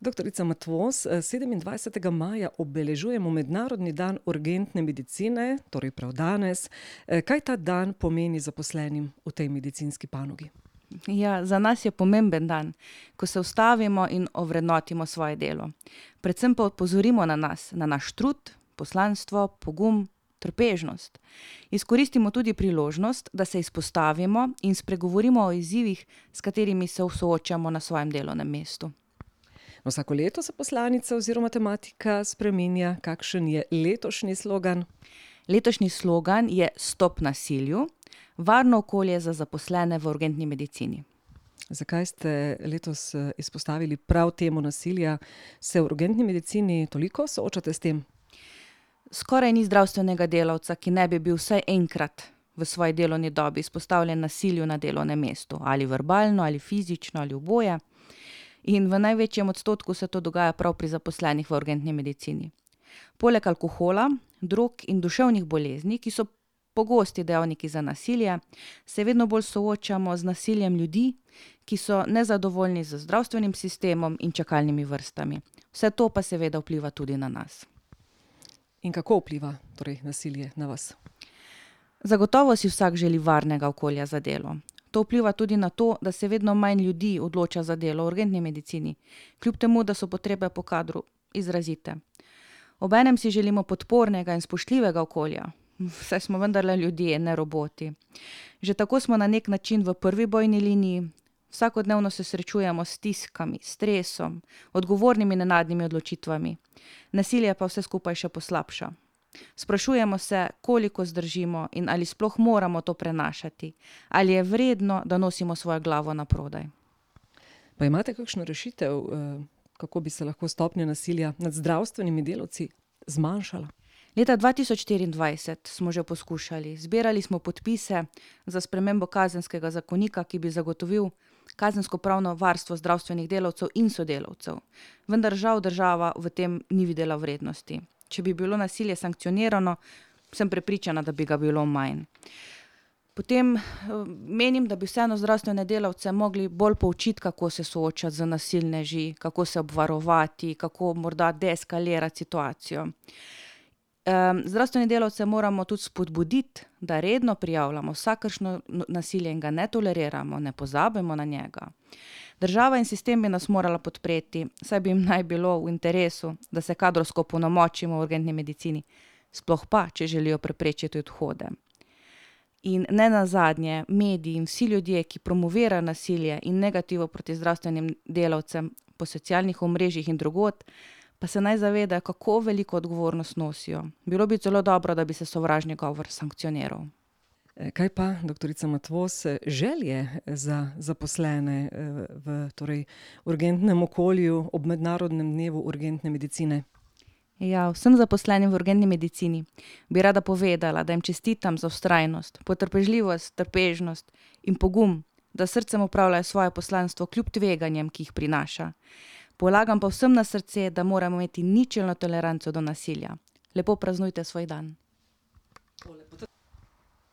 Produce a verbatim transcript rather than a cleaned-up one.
Doktorica Matvoz, sedemindvajsetega maja obeležujemo Mednarodni dan urgentne medicine, torej prav danes. Kaj ta dan pomeni zaposlenim v tej medicinski panogi? Ja, za nas je pomemben dan, ko se ustavimo in ovrednotimo svoje delo. Predvsem pa opozorimo na nas, na naš trud, poslanstvo, pogum, trpežnost. Izkoristimo tudi priložnost, da se izpostavimo in spregovorimo o izzivih, s katerimi se soočamo na svojem delovnem mestu. Vsako leto se poslanica oziroma tematika spreminja. Kakšen je letošnji slogan? Letošnji slogan je Stop nasilju, varno okolje za zaposlene v urgentni medicini. Zakaj ste letos izpostavili prav temo nasilja? Se v urgentni medicini toliko soočate s tem? Skoraj ni zdravstvenega delavca, ki ne bi bil vsaj enkrat v svoji delovni dobi izpostavljen nasilju na delovnem mestu, ali verbalno, ali fizično, ali oboje. In v največjem odstotku se to dogaja prav pri zaposlenih v urgentni medicini. Poleg alkohola, drog in duševnih bolezni, ki so pogosti dejavniki za nasilje, se vedno bolj soočamo z nasiljem ljudi, ki so nezadovoljni z zdravstvenim sistemom in čakalnimi vrstami. Vse to pa seveda vpliva tudi na nas. In kako vpliva torej nasilje na vas? Zagotovo si vsak želi varnega okolja za delo. To vpliva tudi na to, da se vedno manj ljudi odloča za delo v urgentni medicini, kljub temu, da so potrebe po kadru izrazite. Obenem si želimo podpornega in spoštljivega okolja, saj smo vendarle ljudje, ne roboti. Že tako smo na nek način v prvi bojni liniji, vsakodnevno se srečujemo s stiskami, stresom, odgovornimi nenadnimi odločitvami. Nasilje pa vse skupaj še poslabša. Sprašujemo se, koliko zdržimo in ali sploh moramo to prenašati, ali je vredno, da nosimo svojo glavo naprodaj. Pa imate kakšno rešitev, kako bi se lahko stopnja nasilja nad zdravstvenimi delavci zmanjšala? Leta dva tisoč štiriindvajset smo že poskušali. Zbirali smo podpise za spremembo kazenskega zakonika, ki bi zagotovil kazenskopravno varstvo zdravstvenih delavcev in sodelavcev. Vendar žal država v tem ni videla vrednosti. Če bi bilo nasilje sankcionirano, sem prepričana, da bi ga bilo manj. Potem menim, da bi vseeno zdravstvene delavce mogli bolj poučiti, kako se soočati z nasilneži, kako se obvarovati, kako morda deeskalirati situacijo. Zdravstvene delavce moramo tudi spodbuditi, da redno prijavljamo vsakršno nasilje in ga ne toleriramo, ne pozabimo na njega. Država in sistem bi nas morala podpreti, saj bi jim naj bilo v interesu, da se kadrovsko opolnomočimo v urgentni medicini, sploh pa, če želijo preprečiti odhode. In nenazadnje, mediji in vsi ljudje, ki promovirajo nasilje in negativo proti zdravstvenim delavcem po socialnih omrežjih in drugod, pa se naj zavedajo, kako veliko odgovornost nosijo. Bilo bi zelo dobro, da bi se sovražni govor sankcioniral. Kaj pa, doktorica Matvoz, želje za zaposlene v torej urgentnem okolju ob Mednarodnem dnevu urgentne medicine? Ja, vsem zaposlenim v urgentni medicini bi rada povedala, da jim čestitam za vztrajnost, potrpežljivost, trpežnost in pogum, da s srcem opravljajo svoje poslanstvo kljub tveganjem, ki jih prinaša. Polagam pa vsem na srce, da moramo imeti ničelno toleranco do nasilja. Lepo praznujte svoj dan.